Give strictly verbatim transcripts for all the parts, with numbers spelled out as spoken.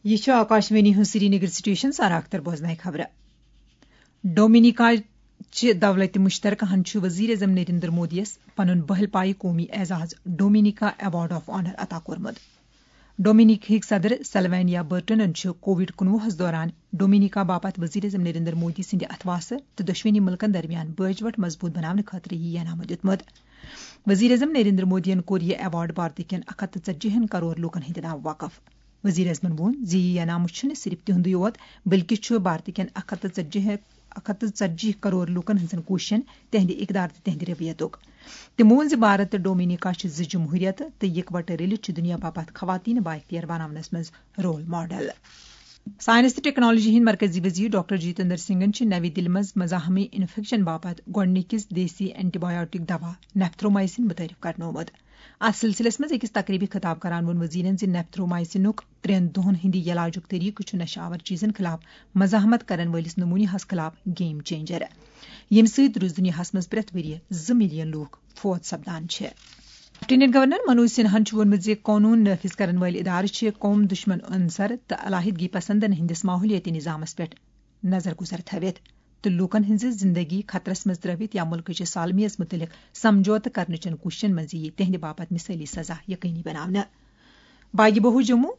یہِ چھُ آکاشوانی ہُنٛد سرینگر سٹیشن۔ سارا اختر بوزنایہِ خبرٕ۔ ڈومینیکا چہِ دولتِ مشترکہ ہن چھُ وزیر اعظم نریندر مودیَس پنُن بہل پایہِ قومی اعزاز ڈومینیکا ایوارڈ آف آنر عطا کوٚرمُت۔ ڈومینیکہٕکۍ صدر سلوینیا برٹنن چھُ کووڈ کُنوُہس دوران ڈومینیکا باپتھ وزیر اعظم نریندر مودی سٕنٛدِ اتھواسہٕ تہٕ دۄشوٕنی مُلکن درمیان بٲج وٹھ مضبوٗط بناونہٕ خٲطرٕ یہِ انعام دیُتمُت۔ وزیر اعظم نریندر مودیَن کوٚر یہِ ایوارڈ بھارتہٕ کٮ۪ن اکھ ہتھ تہٕ ژتجی ہن کرور لوٗکن ہٕنٛدِ ناوٕ وقف۔ وزیر اعظمن ووٚن زِ یہِ انعام چھُنہٕ صرف تِہُنٛدُے یوت، بلکہِ چھُ بھارتہٕ کٮ۪ن اکھ ہتھ تہٕ ژتجی، اکھ ہتھ تہٕ ژتجی کرور لوٗکن ہٕنٛزن کوٗششن، تِہنٛدِ اقدار تہٕ تِہنٛدِ رٔویتُک۔ تِمو ووٚن زِ بھارت تہٕ ڈومینیکا چھِ زٕ جمہوٗریت تہٕ یِکوَٹہٕ رٔلِتھ چھِ دُنیا باپتھ خواتین بااختیار بناونس منٛز رول ماڈل۔ ساینس تہٕ ٹیکنالوجی ہٕنٛدۍ مرکزی وزیر ڈاکٹر جتیندر سنگھن چھِ نوِ دِلہِ منٛز مزاحمی انفیکشن باپتھ گۄڈٕنِکِس دیسی اینٹی بایوٹک دوا نیپتھرومائسن متعارف کرنومُت۔ اتھ سلسلس منٛز أکِس تقریبہِ خطاب کران ووٚن وزیرن زِ نیپتھرومائسنُک ترٛٮ۪ن دۄہن ہٕنٛدِ علاجُک طریقہٕ چھُ نشہٕ آور چیزن خلاف مزاحمت کرن وٲلِس نمونہس خلاف گیم چینجر، ییٚمہِ سۭتۍ روٗز دُنیاہس منٛز پرٛٮ۪تھ ؤرۍ یہِ زٕ ملین لوٗکھ فوت سپدان چھِ۔ لیفٹیننٹ گورنر منوج سنہاہن چھُ ووٚنمُت زِ قونوٗن نافذ کرن وٲلۍ ادارٕ چھِ قوم دشمن عنصر تہٕ علیحدگی پسندن ہٕنٛدِس ماحولیٲتی نظامس پٮ۪ٹھ نظر گزر تھٲوِتھ تہٕ لوٗکن ہٕنٛزِ زندگی خطرس منٛز ترٲوِتھ یا مُلکٕچہِ سالمیت مُتعلق سمجھوتہٕ کرنٕچن کوٗششن منٛز یِیہِ تِہنٛدِ باپتھ مثٲلی سزا یقینی بناونہٕ۔ باغی بہو جموں،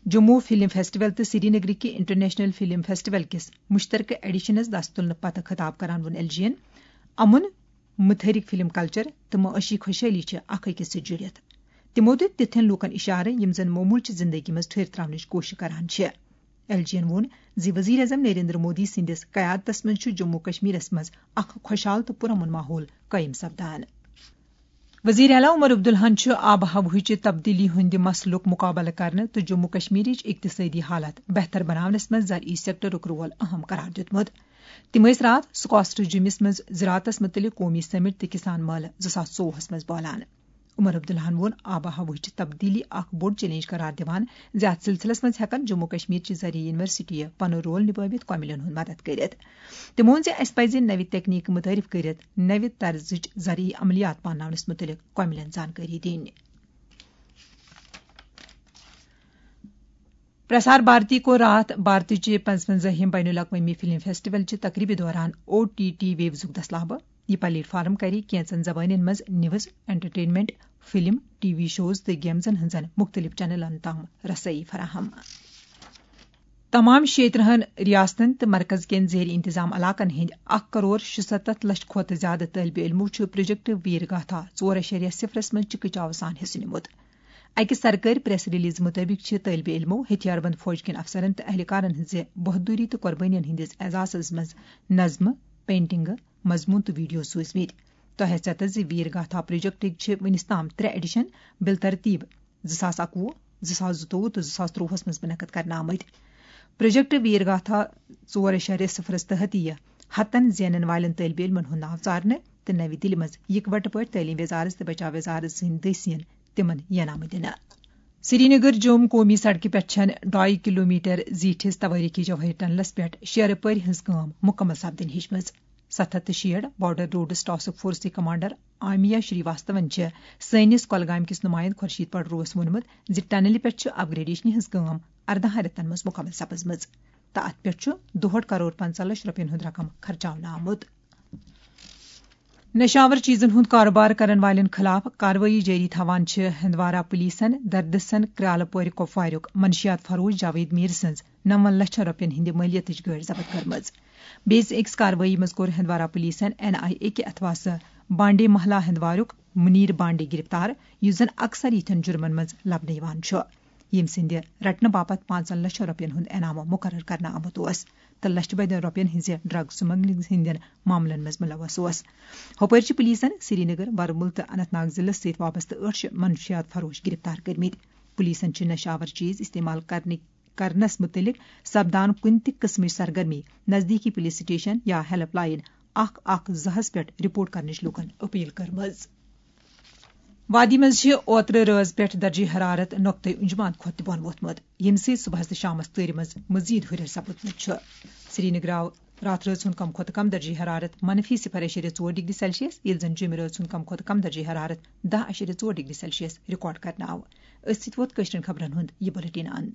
جموں فلم فیسٹیول تہٕ سرینگرٕکہِ انٹرنیشنل فلم فیسٹیول کِس مشترکہٕ ایڈیشنس دست تُلنہٕ پتہٕ خطاب کران ووٚن ایل جی ین، امُن، متحرک فلم کلچر تہٕ معاشی خوشحالی چھِ اکھ أکِس سۭتۍ جُڑِتھ۔ تِمو دیُت تِتھٮ۪ن لوٗکن اشارٕ، یِم زن معموٗلچہِ زندگی منٛز ٹھٔہرۍ تراونٕچ کوٗشش کران چھِ۔ ایل جی ین ووٚن زِ وزیر اعظم نریندر مودی سٕنٛدِس قیادتس منٛز چھُ جموں کشمیرس منٛز اکھ خۄشحال تہٕ پُرامن ماحول قٲیِم سپدان۔ وزیر اعلیٰ عمر عبداللہن چھُ آب و ہوہٕچہِ تبدیلی ہٕنٛدِ مسلُک مُقابلہٕ کرنہٕ تہٕ جموں کشمیرٕچ اقتصٲدی حالت بہتر بناونس منٛز زرعی سیکٹرُک رول اہم قرار دیُتمُت۔ تِم ٲسۍ راتھ سکاسٹر جیمس منٛز زراعتس مُتعلق قومی سمٹ تہٕ کسان مٲلہٕ زٕ ساس ژووُہس منٛز بولان۔ عمر عبداللہن ووٚن آب و ہوہٕچ تبدیلی اکھ بوٚڑ چیلنج قرار دِوان زِ اتھ سلسلس منٛز ہٮ۪کن جموں کشمیر چہِ زرعی یونیورسٹی پنُن رول نبٲوِتھ کۄمِلٮ۪ن ہُنٛد مدد کٔرِتھ۔ تِمو ووٚن زِ اسہِ پزِ نوِ تکنیکہٕ متعارف کٔرِتھ نوِ طرزٕچ زرعی عملیات پانناونس مُتعلق کۄمِلٮ۪ن زانکٲری دِنۍ۔ پرسار بھارتی کوٚر راتھ بھارتٕچہِ پنٛژوَنٛزاہِم بین الاقوٲمی فلم فیسٹیول چہِ تقریبہِ دوران او ٹی ٹی ویوزُک دسلابہٕ۔ یہِ پلیٹ فارم کرِ کینژن زبانن منٛز news, entertainment, film, T V shows تہٕ گیمزن ہٕنٛزن مُختٔلِف چینلن تام رسٲیی فراہم۔ تمام شیٚیہِ ترٕٛہن ریاستن تہٕ مرکز کٮ۪ن زیر انتظام علاقن ہٕنٛدۍ اکھ کرور شُستتھ لچھ کھۄتہٕ زیادٕ طٲلبہِ علمو چھُ پروجیکٹ ویر گاتھا ژور اعشاریہ صفرس منٛز چِکہٕ چاوٕ سان حصہٕ نِمُت۔ اَکہِ سرکٲرۍ پریس ریلیز مُطٲبِق چھِ طٲلبہِ علمو ہتھیار بند فوج کٮ۪ن افسرن تہٕ اہلکارن ہٕنٛزِ بہادری تہٕ قۄربٲنین ہٕنٛدِس اعزازس منٛز نظمہٕ، پینٹنگہٕ، مضموٗن تہٕ ویڈیو سوٗزمٕتۍ۔ تۄہہِ آسہِ ژےٚ تہٕ زِ ویر گاتھا پروجیکٹٕکۍ چھِ وُنِس تام ترٛےٚ ایڈیشن بالترتیب زٕ ساس اَکوُہ، زٕ ساس زٕتووُہ تہٕ زٕ ساس ترٛۆوُہس منٛز منعقد کرنہٕ آمٕتۍ۔ پروجیکٹ ویر گاتھا ژور اعشاریہ صفرس تحت یِیہِ ہتن زینن والٮ۪ن طٲلبہِ علمن ہُنٛد ناو ژارنہٕ تہٕ نوِ دِلہِ منٛز یِکوَٹہٕ پٲٹھۍ تعلیٖم وزارت تہٕ بچاو وزارت سٕنٛدۍ دٔسۍ یِن تِمن انعامہٕ دِنہٕ۔ سرینگر جوم قومی سڑکہِ پٮ۪ٹھ چھَنہٕ ڈاے کلومیٹر زیٖٹھِس توٲریخی جوہری ٹنلس پٮ۪ٹھ شیرٕ پٲرۍ ہٕنٛز کٲم مُکمل سپدٕنۍ ہیٚچمٕژ۔ ستھ ہتھ تہٕ شیٹھ بارڈر روڈس ٹاسک فورسٕکۍ کمانڈر آمیا شری واستون چھِ سٲنِس کۄلگامہِ کِس نُمایندٕ خورشید پڑروَس ووٚنمُت زِ ٹنلہِ پٮ۪ٹھ چھِ اپگریڈیشنہِ ہٕنٛز کٲم ارداہن رٮ۪تن منٛز مُکمل سپٕزمٕژ تہٕ اتھ پٮ۪ٹھ چھُ دُہٲٹھ کرور پنٛژاہ لچھ رۄپین ہُنٛد رقم خرچاونہٕ آمُت۔ نشہٕ آور چیزن ہُنٛد کاروبار کرن والٮ۪ن خلاف کاروٲیی جٲری تھاوان چھِ ہندوارہ پُلیٖسن دردسن کرالہٕ پورِ کۄپواریُک منشیات فروش جاوید میٖر سٕنٛز نَوَن لَچھَن رۄپیَن ہٕنٛدِ مٲلیتٕچ گٲڑۍ ضبط کٔرمٕژ۔ بیٚیِس أکِس کاروٲیی منٛز کوٚر ہندوارہ پُلیٖسَن این آئی اے کہِ اتھواسہٕ بانڈے محلہ ہندواریُک منیر بانڈے گرفتار، یُس زَن اکثر یِتھٮ۪ن جُرمَن منٛز لبنہٕ یِوان چھُ، ییٚمہِ سٕنٛدِ رٹنہٕ باپتھ پانٛژن لَچھَن رۄپیَن ہُنٛد انعام مُقرر کرنہٕ آمُت اوس تہٕ لَچھِ بٔدٮ۪ن رۄپیَن ہٕنٛزِ ڈرگ سمگلنگ ہٕنٛدٮ۪ن معاملن منٛز مُلوث اوس۔ ہُپٲرۍ چھِ پُلیٖسَن سرینگر، ورمُل تہٕ اننت ناگ ضلعس سۭتۍ وابستہٕ ٲٹھ شیٚتھ منشیات فروش گرفتار کٔرمٕتۍ۔ پُلیٖسَن چھِ نشہٕ آور چیز استعمال کرنٕکۍ کرنس مُتعلق سپدان کُنہِ تہِ قٕسمٕچ سرگرمی نزدیٖکی پُلیٖس سٹیشن یا ہیلپ لائن اکھ اکھ زٕ ہَس پٮ۪ٹھ رپورٹ کرنٕچ لوٗکن اپیل کٔرمٕژ۔ وادی منٛز چھِ اوترٕ رٲژ پٮ۪ٹھ درجہ حرارت نقطہٕ انجمان کھۄتہٕ تہِ بۄن ووتھمُت، ییٚمہِ سۭتۍ صبحس تہٕ شامس تۭرِ منٛز مزید ہُرٮ۪ر سپُدمُت چھُ۔ سرینگر آو راتھ رٲژ ہُنٛد کم کھۄتہٕ کم درجہ حرارت منفی صفر اعشاریہ ژور ڈگری سیلسیس، ییٚلہِ زن جیٚمہِ رٲژ ہُنٛد کم کھۄتہٕ کم درجہ حرارت دَہ اعشاریہ ژور ڈگری سیلسیس ریکارڈ کرنہٕ آو۔ أتھۍ سۭتۍ ووت کٲشرٮ۪ن خبرن ہُنٛد یہِ بُلٹن اند۔